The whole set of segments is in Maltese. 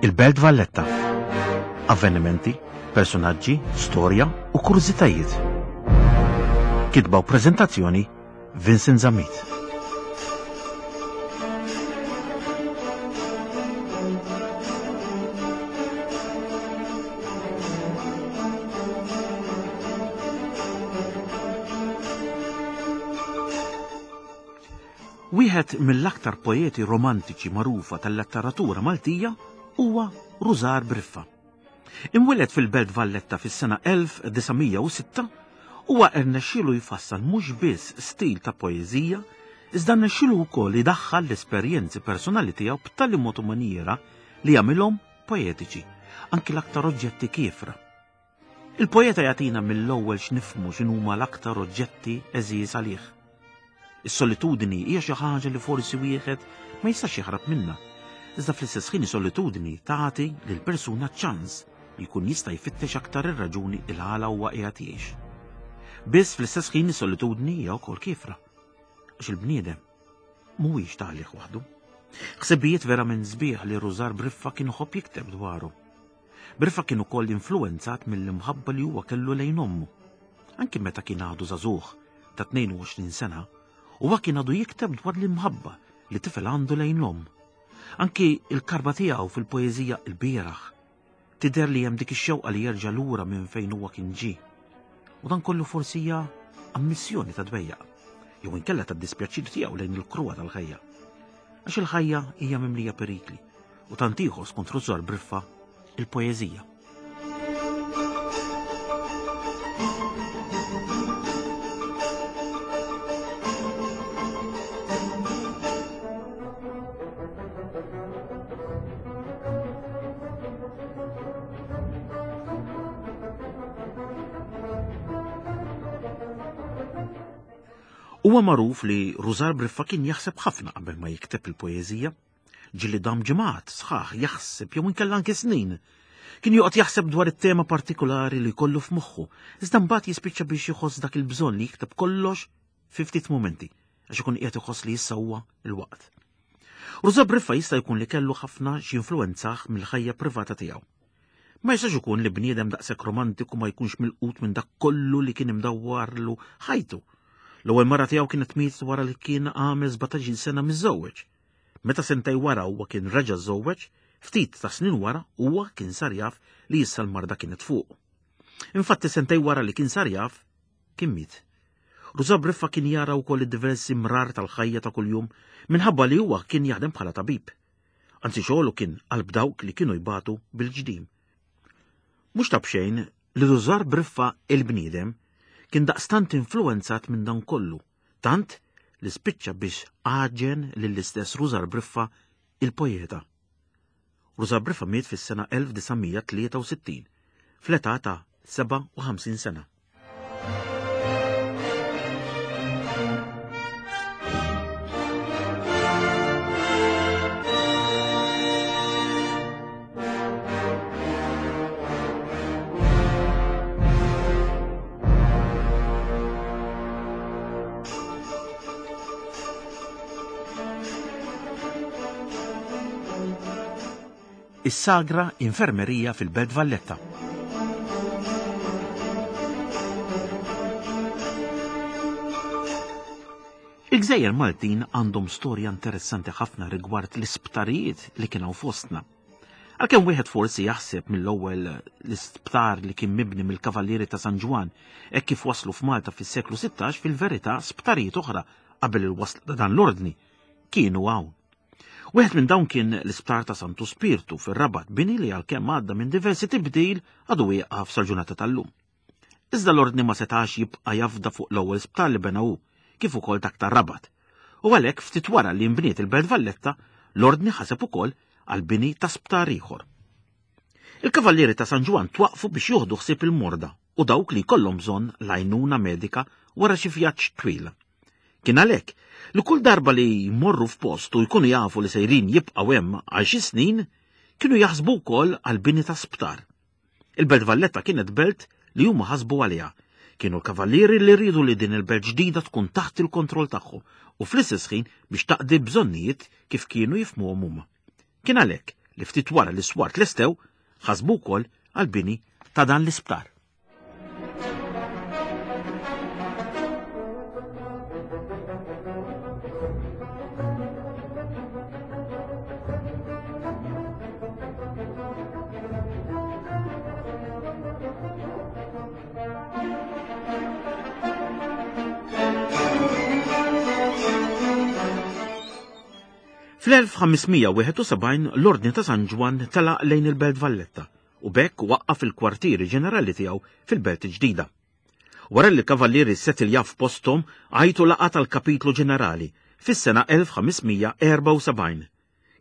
Il-Belt Valletta. Avvenimenti, personaġġi, storja u kurżitajiet. Kitba u preżentazzjoni Vincent Zammit. Wieħed mill-aktar poeti romantiċi magħrufa tal-letteratura Maltija huwa Rużar Briffa. Imwieled fil-Belt Valletta fis-sena 1906, huwa rnexxielu jfassal mhux biss stil ta' poeżija, iżda rnexxielu wkoll idaħħal l-esperjenzi personali tiegħu b'tali mod u manjiera li jagħmilhom poetiċi, anki l-aktar oġġetti kiefra. Il-poeta jagħtina mill-ewwel x'nifhmu x'inhuma l-aktar oġġetti għeżież għalih. Is-solitudni hija xi ħaġa li forsi wieħed ma jistax jaħrab minnha. Iżda fl-istess ħin is-solitudni tagħti lil persuna ċans li jkun jista' jfittex aktar ir-raġuni il għala huwa qiegħed jgħix. Biss fl-istess ħin is-solitudni hija wkoll kiefra. Għax il-bniedem mhuwiex ta' għalih waħdu. Ħsibijiet verament sbieħ li Rużar Briffa kien iħobb jikteb dwaru. Briffa kien ukoll influwenzat mill-imħabba li huwa kellu lejn ommu. Anki meta kien għadu żagħżugħ ta' 22 sena, huwa kien għadu jikteb dwar l-imħabba li tifel għandu lejn l-omm. Anki il-karba tiegħu fil-poeżija Il-bieraħ tidher li hemm dik ix-xewqa li jerġa' lura minn fejn huwa kien ġie. U dan kollu forsi hija ammissjoni ta' dwejjaq, jew inkella ta' dispjaċir tiegħu lejn il-kruha tal-ħajja. Għax il-ħajja hija mimlija perikli u tant ieħor skont Rużar Briffa il-poeżija. Huwa magħruf li Rużar Briffa kien jaħseb ħafna qabel ma jikteb il-poeżija. Ġieli dam ġimgħat sħaħ jaħseb jew inkella anke snin. Kien joqgħod jaħseb dwar it-tema partikolari li jkollu f'moħħu, iżda mbagħad jispiċċa biex jħoss dak il-bżonn li jikteb kollox fi ftit mumenti, għax ikun qiegħed iħoss li issa huwa l-waqt. Ruża Briffa jista' jkun li kellu ħafna x'influwenzah mill-ħajja privata tiegħu. Ma jistax ikun li bniedem daqshekk romantiku ma jkunx milqut minn dak kollu li kien imdawwarlu ħajtu. L-ewwel mara tiegħu kienet mietet wara li kien għamel 17-il sena miżżewweġ. Meta sentej wara huwa kien reġa' żżewweġ, ftit ta' snin wara huwa kien sar jaf li issa l-marda kienet fuqu. Infatti sentej wara li kien sar jaf, kien miet. Ruża Briffa kien jara wkoll id-diversi mrar tal-ħajja ta' kuljum minħabba li huwa kien jaħdem bħala tabib. Anzi xogħlu kien qalb dawk li kienu jbatu bil-ġdim. Mhux ta' b'xejn li Rużar Briffa il-bniedem kien daqstant influwenzat minn dan kollu Tant li spiċċa biex għaġen lill-istess Rużar Briffa il-poeta. Rużar Briffa miet fis-sena 1963 fl-età ta' 57 sena. Is-Sagra Infermerija fil-Belt Valletta. Il-Gżejjer Maltin għandhom storja interessanti ħafna rigward l-isptarijiet li kien hawn fostna. Għalkemm wieħed forsi jaħseb mill-ewwel l-isptar li kien mibni mill-Kavallieri ta' San Ġwann hekk kif waslu f'Malta fis-seklu 16 fil-verità sptarijiet oħra qabel il-wasla ta' dan l-ordni kienu hawn. Wieħed minn dawn kien l-isptar ta' Santu Spirtu fir-Rabat bini li għalkemm għadda minn diversi tibdil għadu wieqaf sal-ġurnata tal-lum. Iżda l-Ordni ma setax jibqa' jafda fuq l-ewwel sptar li bena hu, kif ukoll dak tar-Rabat. U għalhekk ftit wara li nbniet il-Belt Valletta, l-Ordni ħaseb ukoll għall-bini ta' sptar ieħor. Il-Kavallieri ta' San Ġwann twaqqfu biex joħdu ħsieb il-morda u dawk li jkollhom bżonn l-għajnuna medika wara xi vjaġġ twil. Kien għalhekk li kull darba li jmorru f'post u jkunu jafu li sejrin jibqgħu hemm għal xi snin, kienu jaħsbu wkoll għall-bini ta' sptar. Il-Belt Valletta kienet belt li huma ħasbu għaliha. Kienu l-kavallieri li riedu li din il-belt ġdida tkun taħt il-kontroll tagħhom u fl-istess ħin biex taqdi bżonnijiet kif kienu jifhmuhom huma. Kien għalhekk li ftit wara li s-swar tlestew, ħasbu wkoll għall-bini ta' dan l-isptar. Fl-1571 l-Ordni ta' San Ġwann telaq lejn il-Belt Valletta u b'hekk waqqaf il-kwartieri ġenerali tiegħu fil-Belt il-Ġdida. Wara li l-Kavallieri ssetiljaw f'posthom għajtu laqgħa tal-Kapitlu Ġenerali fis-sena 1574.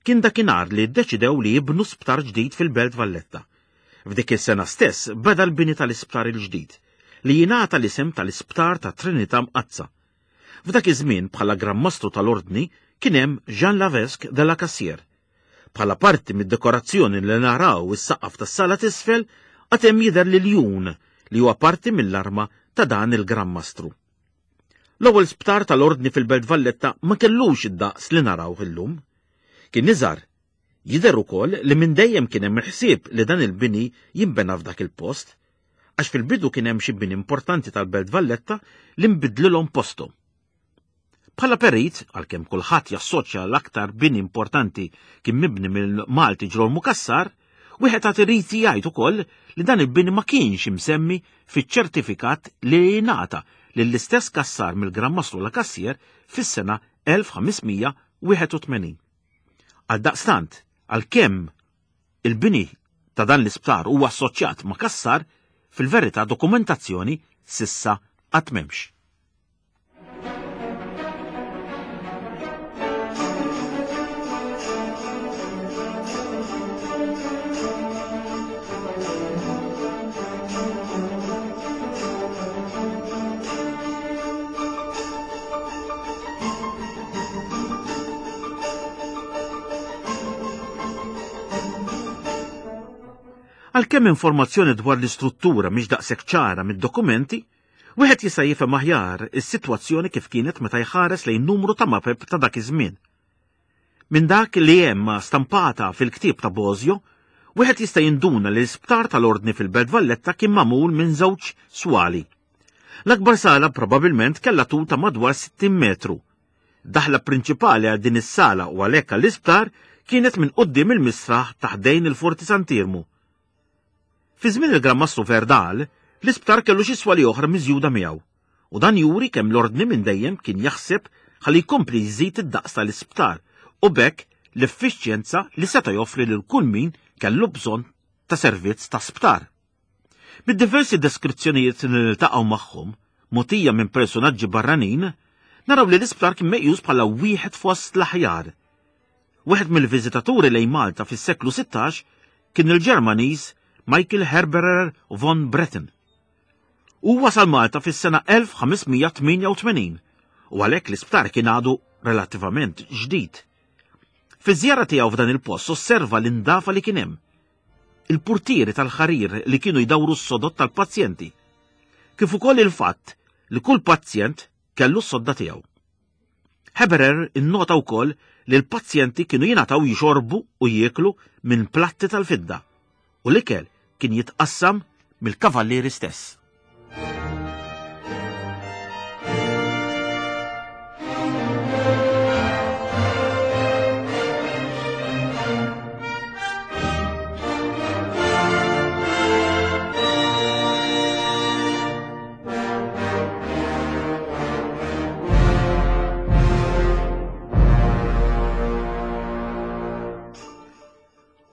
Kien dakinhar li ddeċidew li jibnu sptar ġdid fil-Belt Valletta. F'dik is-sena stess beda l-bini tal-isptar il-ġdid, li jingħata l-isem tal-Isptar tat-Trinità Mqaddsa. F'dak iż-żmien bħala Gran Mastru tal-Ordni kien hemm Jean Lavesque de la Cassière. Bħala parti mid-dekorazzjoni li naraw is-saqaf tas-sala t'isfel għad hemm jidher l-iljun li huwa parti mill-arma ta' dan il-Gran Mastru. L-ewwel sptar tal-Ordni fil-Belt Valletta ma kellux id-daqs li narawh illum. Kien iżgħar. Jidher ukoll li minn dejjem kien hemm il-ħsieb li dan il-bini jinbena f'dak il-post, għax fil-bidu kien hemm xi bini importanti tal-Belt Valletta li nbidlilhom posthom. Bħala perit, għalkemm kulħadd jassoċja l-aktar bini importanti kien mibni mill-Malti Ġrolmu Cassar, wieħed għad irid jgħid ukoll li dan il-bini ma kienx imsemmi fiċ-ċertifikat li ngħata lill-istess Cassar mill-Gran Mastru La Cassière fis-sena 1581. Għaldaqstant, għalkemm il-bini ta' dan l-isptar huwa assoċjat ma' Cassar, fil-verità dokumentazzjoni s'issa għad m'hemmx. Għalkemm informazzjoni dwar l-istruttura mhix daqshekk ċara mid-dokumenti, Wieħed jista' jifhem aħjar is-sitwazzjoni kif kienet meta jħares lejn numru ta' mapep ta' dak iż-żmien. Minn dak li hemm stampata fil-ktieb ta' Bosio, wieħed jista' jinduna li l-isptar tal-Ordni fil-Belt Valletta kien magħmul minn żewġ swali. L-akbar sala probabilment kellha tul ta' madwar 60 metru. Daħla prinċipali għal din is-sala u għalhekk għall-isptar kienet minn quddiem il-misraħ ta' ħdejn il-Forti Sant'Iermu. Fi żmien il-Gran Mastru Verdal, l-isptar kellu xi swali oħra miżjuda miegħu, u dan juri kemm l-Ordni minn dejjem kien jaħseb ħalli jkompli jżid id-daqs tal-isptar u b'hekk l-effiċjenza li seta' joffri lil kull min kellu bżonn ta' servizz ta' sptar. Mid-diversi deskrizzjonijiet li niltaqgħu magħhom, mogħtija minn personaġġi barranin, naraw li l-isptar kien meqjus bħala wieħed fost l-aħjar. Wieħed mill-viżitaturi lejn Malta fis-seklu 16 kien il-Ġermaniż Michael Herberer von Bretten. Hu wasal Malta fis-sena 1588 u għalhekk l-isptar kien għadu relattivament ġdid. Fiż-żjara tiegħu f'dan il-post osserva l-indafa li kien hemm, il-purtieri tal-ħarir li kienu jdawru s-sodod tal-pazjenti, kif ukoll il-fatt li kull pazjent kellu s-sodda tiegħu. Heberer innota wkoll li l-pazjenti kienu jingħataw jixorbu u jieklu minn platti tal-fidda u l-ikel kien jitqassam mill-kavallieri stess.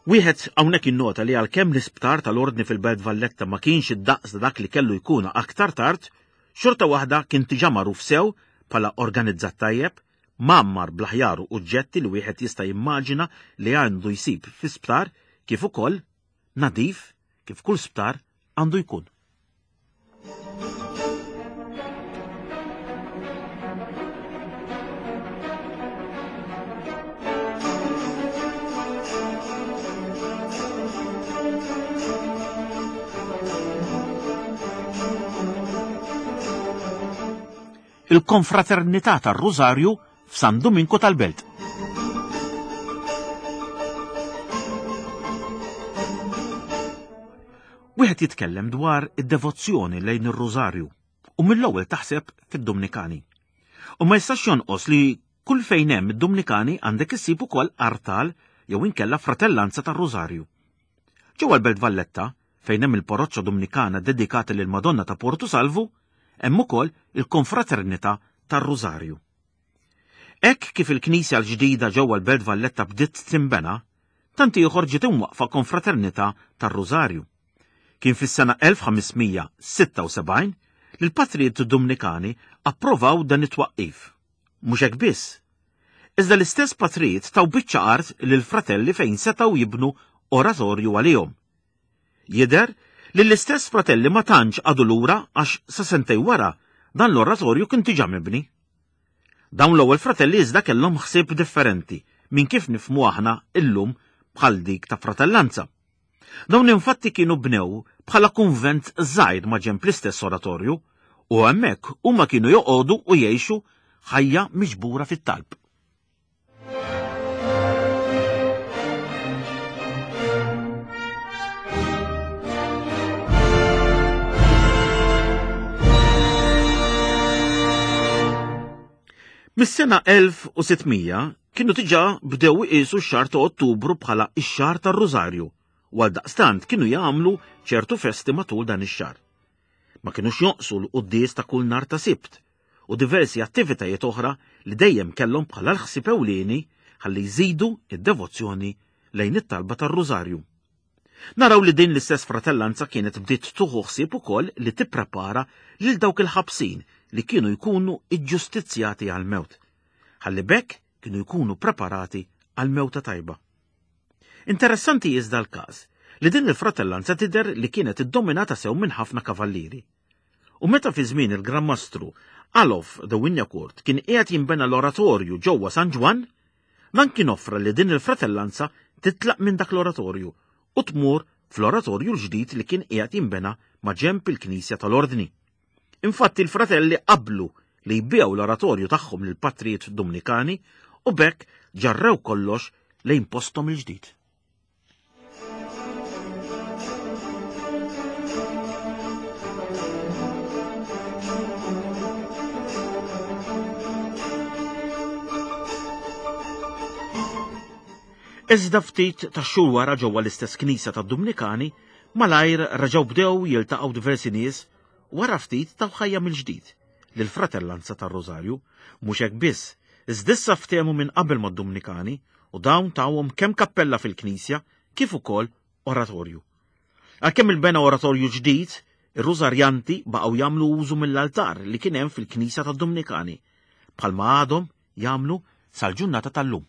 Wieħed hawnhekk innota li għalkemm l-isptar tal-Ordni fil-Belt Valletta ma kienx id-daqs ta' dak li kellu jkun aktar tard, xorta waħda kien diġà magħruf sew bħala organizzat tajjeb, mgħammar bl-aħjar oġġetti li wieħed jista' jimmaġina li għandu jsib fi sptar kif ukoll nadif kif kull sptar għandu jkun. Il-Konfraternità tar-Rużarju f'San Duminku tal-Belt. Wieħed jitkellem dwar id-devozzjoni lejn ir-Rużarju u mill-ewwel taħseb fid-Dumnikani. U ma jistax jonqos li kull fejn hemm id-Dumnikani għandek issib ukoll artal jew inkella fratellanza tar-Rużarju. Ġewwa l-Belt Valletta, fejn hemm il-Parroċċa Dumnikana dedikata lil Madonna ta' Portu Salvu, hemm ukoll il-Konfraternità tar-Rużarju. Hekk kif il-knisja l-ġdida ġewwa l-Belt Valletta bdiet tinbena, tant ieħor ġiet imwaqqfa Konfraternità tar-Rużarju. Kien fis-sena 1576 li l-patrijiet Dumnikani approvaw dan it-twaqqif. Mhux hekk biss, iżda l-istess patrijiet taw biċċa art lill-fratelli fejn setgħu jibnu oratorju għalihom. Jidher li l-istess fratelli ma tantx qagħdu lura għax sa sentejn wara dan l-oratorju kien diġà mibni. Dawn l-ewwel fratelli iżda kellhom ħsieb differenti minn kif nifhmu aħna illum bħal dik ta' fratellanza. Dawn infatti kienu bnew bħala kunvent żgħir ma' ġenb l-istess oratorju u hemmhekk huma kienu joqogħdu u jgħixu ħajja miġbura fit-talb. Mis-sena 1600 kienu diġà bdew iqisu x-xahar ta' Ottubru bħala x-xahar tar-Rużarju u għaldaqstant kienu jagħmlu ċertu festi matul dan ix-xahar. Ma kinux jonqsu l-quddies ta' kull nhar ta' Sibt u diversi attivitajiet oħra li dejjem kellhom bħala l-ħsieb ewlieni ħalli jżidu d-devozzjoni lejn it-talba tar-Rużarju. Naraw li din l-istess fratellanza kienet bdiet tuħu ħsieb ukoll li tipprepara lil dawk il-ħabsin li kienu jkunu iġġustizzjati għall-mewt. Ħalli b'hekk kienu jkunu preparati għal mewta tajba. Interessanti iżda l-każ li din il-fratellanza tidher li kienet iddominata sew minn ħafna kavallieri. U meta fi żmien il-Gran Mastru Alof de Wignacourt kien qiegħed jinbena l-oratorju ġewwa San Ġwann, dan kien offra li din il-fratellanza titlaq minn dak l-oratorju u tmur fl-oratorju l-ġdid li kien qiegħed jinbena ma' ġenb il-knisja tal-Ordni. Infatti l-fratelli qablu li jbiegħu l-oratorju tagħhom lill-patrijiet Dumnikani u b'hekk ġarrew kollox lejn posthom il-ġdid. Iżda ftit tax-xhur wara ġewwa l-istess knisja tad-Dumnikani, malajr reġgħu bdew jiltaqgħu diversi nies wara ftit taw ħajja mill-ġdid lill-Fratellanza tar-Rożarju. Mhux hekk biss, iżda issa ftehmu minn qabel mad-Dumnikani u dawn tawhom kemm kappella fil-knisja kif ukoll oratorju. Għalkemm inbena oratorju ġdid, ir-Rużarjanti baqgħu jagħmlu użu mill-altar li kien hemm fil-knisja tad-Dumnikani, bħalma għadhom jagħmlu sal-ġurnata tal-lum.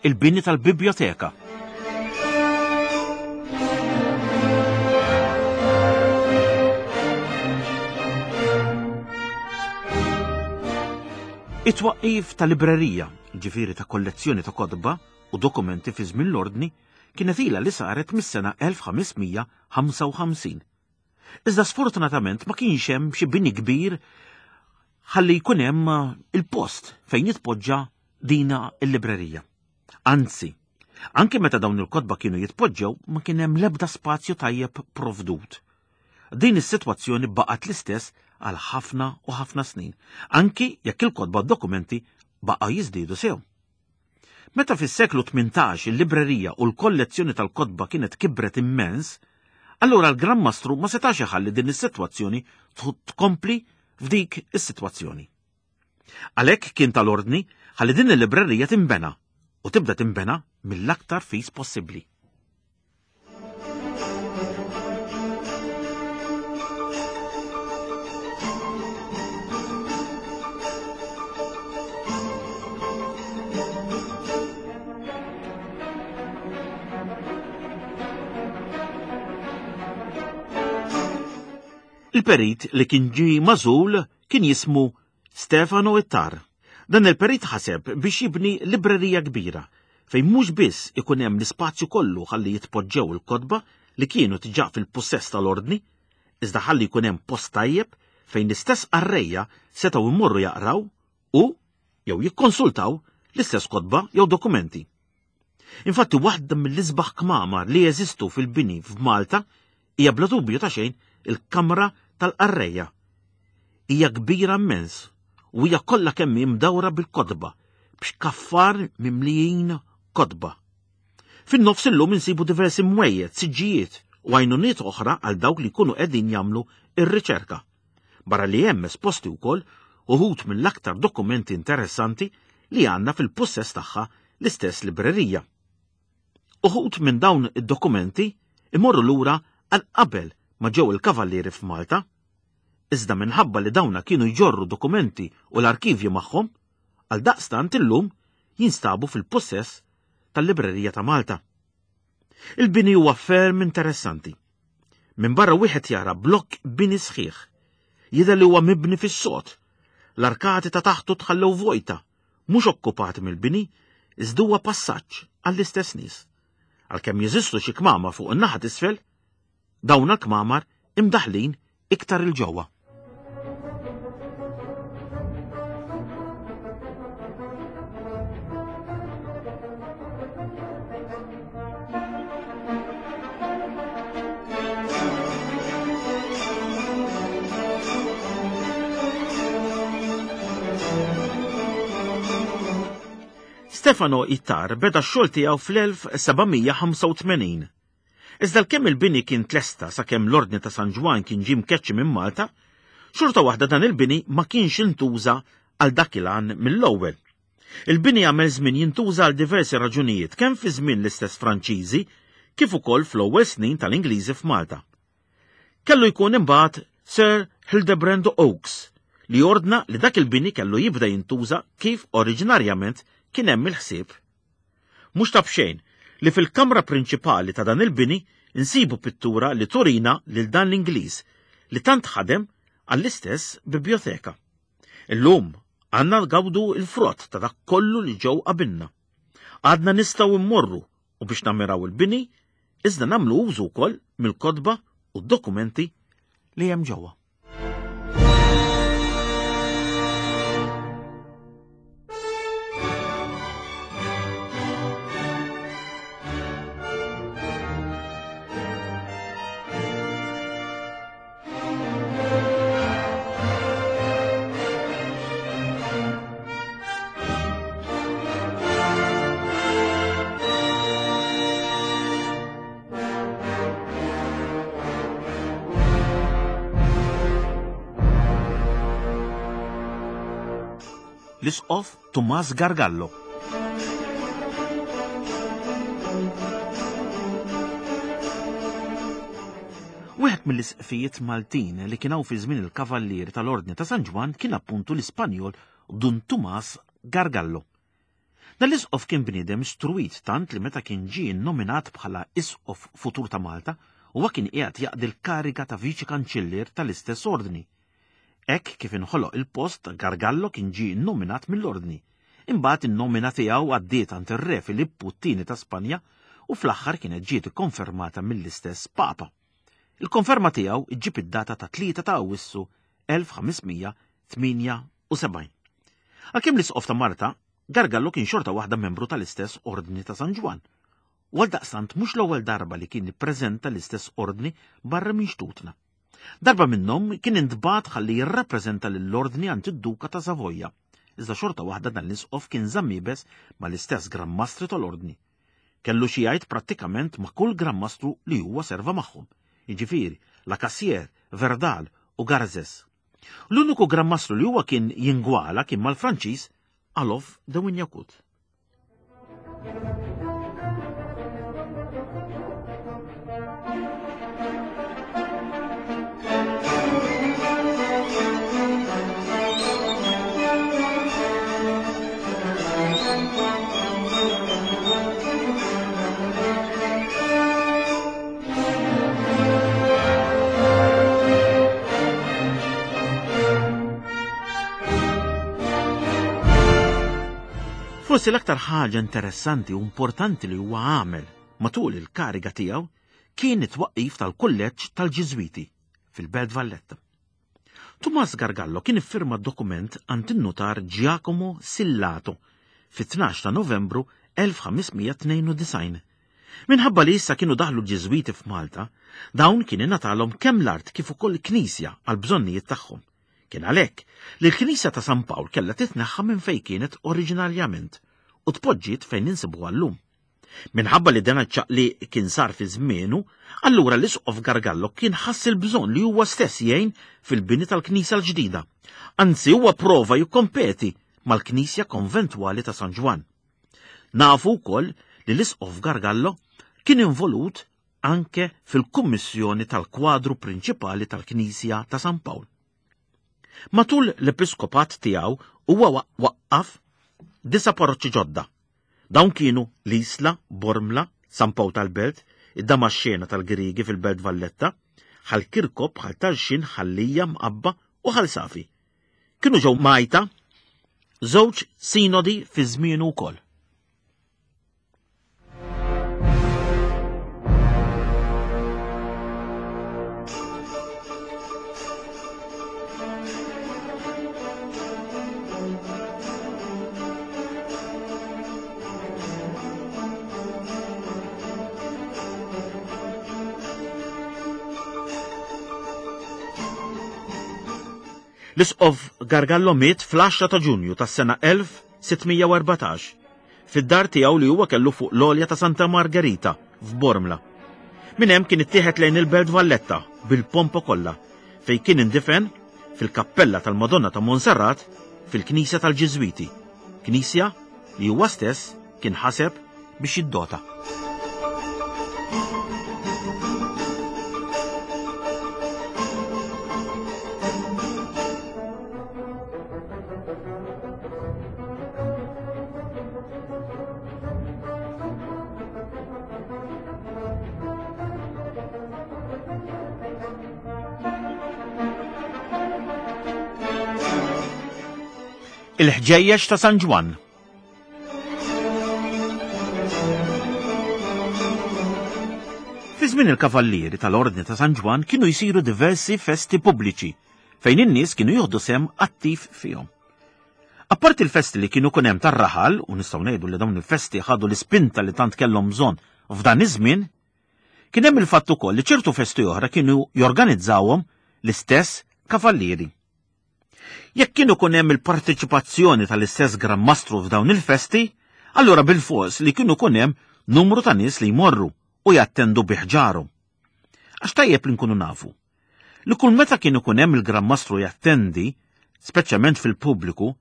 Il-bini tal-bibjoteka. It-twaqqif ta' librerija, ġifieri ta' kollezzjoni ta' kotba u dokumenti fi żmien l-Ordni, kienet ilha li saret mis-sena 1555. Iżda sfortunatament ma kienx hemm xi bini kbir ħalli jkun hemm il-post fejn jitpoġġa dina il-librerija. Anzi, anke meta dawn il-kotba kienu jitpoġġew ma kien hemm l-ebda spazju tajjeb provdut. Din is-sitwazzjoni baqgħet l-istess għal ħafna u ħafna snin, anki jekk il-kotba u d-dokumenti baqgħu jiżdiedu sew. Meta fis-seklu 18 il-librerija u l-kollezzjoni tal-kotba kienet kibret immens, allura l-Gran Mastru ma setax iħalli din is-sitwazzjoni tkompli f'dik is-sitwazzjoni. Għalhekk kien tal-ordni ħalli din il-librerija tinbena u tibda tinbena mill-aktar fis possibbli. Il-perit li kien ġie magħżul kien jismu Stefano Ittar. Dan il-perit ħaseb biex jibni librerija kbira fejn mhux biss ikun hemm l-ispazju kollu ħalli jitpoġġew il-kotba li kienu diġà fil-pussess tal-Ordni, iżda ħalli jkun hemm post tajjeb fejn l-istess qarrejja setgħu jmorru jaqraw u jew jikkonsultaw l-istess kotba jew dokumenti. Infatti waħda mill-isbaħ kmamar li jeżistu fil-bini f'Malta hija bla dubju ta' xejn il-kamra tal-qarrejja. Hija kbira immens u hija kollha kemm hi mdawra bil-kotba, b'xkaffar mimlijin kotba. Fin-nofs illum insibu diversi mwejjed, siġġijiet u għajnuniet oħra għal dawk li jkunu qegħdin jagħmlu r-riċerka. Barra li hemm esposti wkoll uħud mill-aktar dokumenti interessanti li għandna fil-pussess tagħha l-istess librerija. Uħud minn dawn id-dokumenti imorru lura għal qabel ma ġew il-Kavallieri f'Malta. Iżda minħabba li dawna kienu jġorru dokumenti u l-arkivji magħhom, għaldaqstant illum jinstabu fil-pussess tal-Librerija ta' Malta. Il-bini huwa ferm interessanti. Minn barra wieħed jara blokk bini sħiħ. Jidher li huwa mibni fis-sod. L-arkati ta' taħtu tħallew vojta, mhux okkupati mill-bini, iżda huwa passaġġ għall-istess nies. Għalkemm jeżistu xi kmamar fuq in-naħa t'isfel, dawn l-kmamar imdaħħlin iktar 'il ġewwa. Stefano Ittar beda x-xogħol tiegħu fl-1785. Iżda għalkemm il-bini kien tlesta sakemm l-Ordni ta' San Ġwann kien ġie mkeċċi minn Malta, xorta waħda dan il-bini ma kienx intuża għal dak il-għan mill-ewwel. Il-bini għamel żmien jintuża għal diversi raġunijiet kemm fi żmien l-istess Franċiżi kif ukoll fl-ewwel snin tal-Ingliżi f'Malta. Kellu jkun imbagħad Sir Hildebrand Oakes li ordna li dak il-bini kellu jibda jintuża kif oriġinarjament kien hemm il-ħsieb. Mhux ta' b'xejn li fil-kamra prinċipali ta' dan il-bini nsibu pittura li turina lil dan l-Ingliż li tant ħadem għall-istess bibjoteka. Illum għandna ngawdu l-frott ta' dak kollu li ġew qabilna. Għadna nistgħu mmorru u biex nammiraw il-bini, iżda nagħmlu użu wkoll mill-kotba u d-dokumenti li hemm ġewwa. L-Isqof Tumas Gargallo. Wieħed mill-isqfijiet Maltin li kien hawn fi żmien il-Kavallieri tal-Ordni ta' San Ġwann kien appuntu l-Ispanjol Dun Tumas Gargallo. Dan l-isqof kien bniedem istruwit tant li meta kien ġie nnominat bħala isqof futur ta' Malta, huwa kien qiegħed jaqdi l-kariga ta' viċi kanċillier tal-istess ordni. Hekk kif inħoloq il-post, Gargallo kien ġie nnominat mill-ordni. Imbagħad in-nomina tiegħu għaddiet għand ir-Re Filippu t-Tieni ta' Spanja u fl-aħħar kienet ġiet ikkonfermata mill-istess Papa. Il-konferma tiegħu ġġib id-data ta' 3 ta' Awwissu 1578. Għalkemm l-Isqof ta' Marta, Gargallo kien xorta waħda membru tal-istess Ordni ta' San Ġwann. U għaldaqstant mhux l-ewwel darba li kien ippreżenta l-istess Ordni barra minn xtutna. Darba minnhom kien intbagħat ħalli jirrappreżenta lill-Ordni għand id-Duka ta' Savoja, iżda xorta waħda dan l-Isqof kien żamm iebes mal-istess Gran Mastri tal-Ordni. Kellu xi jgħid prattikament ma' kull Gran Mastru li huwa serva magħhom, jiġifieri La Cassière, Verdal u Garzes. L-uniku Gran Mastru li huwa kien jingwala kien mal-Franċiż Alof de Wignacourt. Forsi l-aktar ħaġa interessanti u importanti li huwa għamel matul il-kariga tiegħu kien it-twaqqif tal-Kulleġġ tal-Ġiżwiti fil-Belt Valletta. Tumas Gargallo kien iffirma dokument għand in-nutar Giacomo Sillato fit-12 ta' Novembru 1592. Minħabba li issa kienu daħlu l-Ġiżwiti f'Malta, dawn kien ingħatalhom kemm l-art kif ukoll knisja għall-bżonnijiet tagħhom. Kien għalhekk li l-knisja ta' San Pawl kellha titneħħa minn fejn kienet oriġinarjament u tpoġġiet fejn insibuha llum. Minħabba li dan iċ-ċaqliq kien sar fi żmienu, allura l-Isqof Gargallo kien ħass il-bżonn li huwa stess jgħin fil-bini tal-knisja l-ġdida. Anzi huwa prova jikkompeti mal-knisja konventwali ta' San Ġwann. Nafu wkoll li l-Isqof Gargallo kien involut anke fil-kummissjoni tal-kwadru prinċipali tal-Knisja ta' San Pawl. Matul l-episkopat tiegħu huwa waqqaf disa' parroċċi ġodda. Dawn kienu l-Isla, Bormla, San Pawl tal-Belt, id-Damaxxena tal-Griegi fil-Belt Valletta, Ħal Kirkop, Ħal Tarxien, Ħal Lija, Mqabba u Ħal Safi. Kienu ġew mgħajta żewġ sinodi fi żmienu wkoll. L-Isqof Gargallo miet fl-10 ta' Ġunju tas-sena 1614 fid-dar tiegħu li huwa kellu fuq l-għolja ta' Santa Margherita f'Bormla. Minn hemm kien ittieħed lejn il-Belt Valletta bil-pompa kollha fejn kien indifen fil-kappella tal-Madonna ta' Monserrat fil-Knisja tal-Ġiżwiti, knisja li huwa stess kien ħaseb biex jiddota. Il-ħġejjeġ ta' San Ġwann. Fi żmien il-Kavallieri tal-Ordni ta' San Ġwann kienu jsiru diversi festi pubbliċi fejn in-nies kienu jieħdu sehem attiv fihom. Apparti l-festi li kienu kun hemm tar-raħal, u nistgħu ngħidu li dawn il-festi ħadu l-ispinta li tant kellhom bżonn f'dan iż-żmien, kien hemm il-fatt ukoll li ċertu festi oħra kienu jorganizzawhom l-istess kavallieri. Jekk kien ikun hemm il-parteċipazzjoni tal-istess Gran Mastru f'dawn il-festi, allura bilfors li kienu ikun hemm numru ta' nies li jmorru u jattendu bi ħġarhom. Għax tajjeb li nkunu nafu li kull meta kien ikun hemm il-Gran Mastru jattendi, speċjalment fil-pubbliku,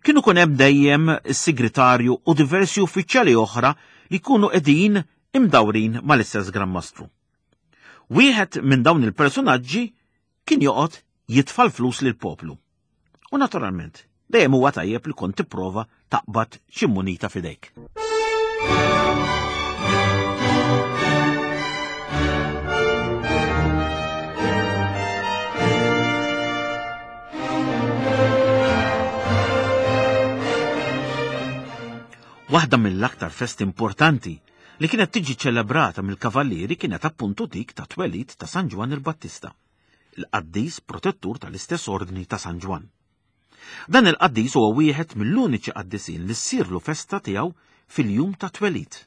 kien ikun hemm dejjem is-sigritarju u diversi uffiċjali oħra li jkunu qegħdin imdawrin mal-istess Gran Mastru. Wieħed minn dawn il-personaġġi kien joqgħod jitfa' l-flus lill-poplu. U naturalment, dejjem huwa tajjeb li kont tipprova taqbad xi munita f'idejk. Waħda mill-aktar festi importanti li kienet tiġi ċelebrata mill-kavallieri kienet appuntu dik ta' twelid ta' San Ġwann il-Battista, il-qaddis protettur tal-istess ordni ta' San Ġwann. Dan il-qaddis huwa wieħed mill-uniċi qaddisin li ssirlu festa tiegħu fil-jum ta' twelid.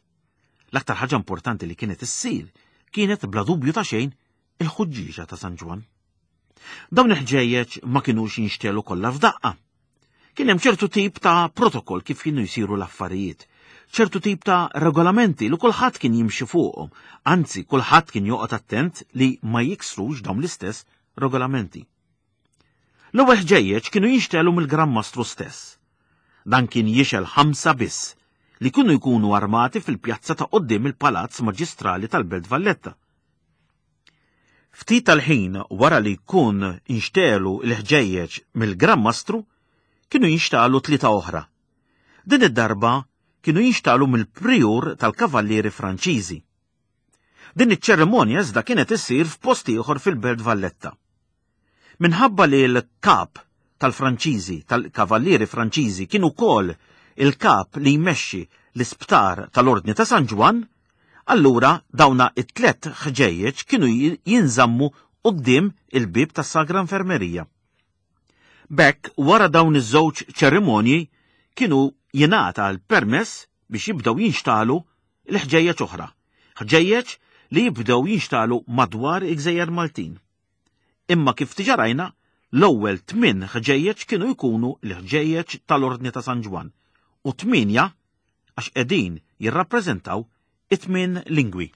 L-aktar ħaġa importanti li kienet issir kienet bla dubju ta' xejn il-ħuġġieġa ta' San Ġwann. Dawn il-ħġejjeġ ma kinux jinxtelu kollha f'daqqa. Kien hemm ċertu tip ta' protokoll kif kienu jsiru l-affarijiet, ċertu tip ta' regolamenti li kulħadd kien jimxi fuqhom, anzi kulħadd kien joqgħod attent li ma jiksrux dawn l-istess regolamenti. L-ewwel ħġejjeġ kienu jinxtelu mill-Gran Mastru stess. Dan kien jixgħel ħamsa biss li kienu jkunu armati fil-pjazza ta' quddiem il-Palazz Maġistrali tal-Belt Valletta. Ftit tal-ħin wara li jkun inxtegħlu l-ħġejjeġ mill-Gran Mastru, kienu jinxtagħlu tlieta oħra. Din id-darba kienu jinxtagħlu mill-Prijur tal-Kavallieri Franċiżi. Din iċ-ċerimonja iżda kienet issir f'post ieħor fil-Belt Valletta. Minħabba li l-kap tal-Franċiżi, tal-Kavallieri Franċiżi kien ukoll il-kap li jmexxi l-isptar tal-Ordni ta' San Ġwann, allura dawna it-tlett ħġejjeġ kienu jinżammu quddiem il-bieb tas-Sagra Infermerija. B'hekk wara dawn iż-żewġ ċerimonji kienu jingħata l-permess biex jibdew jinxtagħlu l-ħġejjeġ oħra, ħġejjeġ li jibdew jinxtagħlu madwar il-gżejjer Maltin. Imma kif diġà rajna, l-ewwel tminn ħġejjeġ kienu jkunu l-ħġejjeġ tal-Ordni ta' San Ġwann u tmienja għax qegħdin jirrappreżentaw it-tmien lingwi.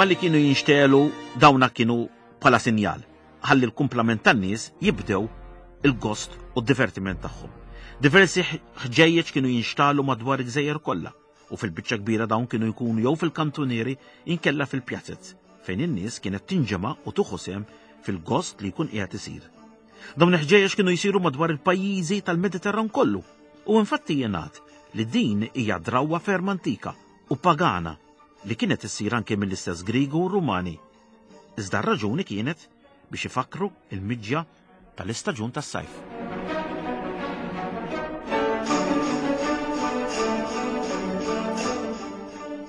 Malli kienu jinxtelu dawna kienu bħala sinjal ħalli l-kumplament tan-nies jibdew il-gost u d-divertiment tagħhom. Diversi ħġejjeġ kienu jinxtalu madwar il-gżejjer kollha u fil-biċċa kbira dawn kienu jkunu jew fil-kantunieri inkella fil-pjazez fejn in-nies kienet tinġema' u tuħu sehem fil-gost li jkun qiegħed isir. Dawn il-ħġejjeġ kienu jsiru madwar il-pajjiżi tal-Mediterran kollu u infatti jingħad li din hija drawwa ferm antika u pagana li kienet issir anke mill-istess Griegu u Rumani. Iżda r-raġuni kienet biex ifakkru il-miġja tal-istaġun tas-sajf.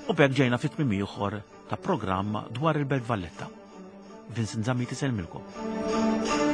U b'hekk ġejna fit tmiem ieħor ta' programm dwar il-Belt Valletta. Vincent Zammit isellmilkom.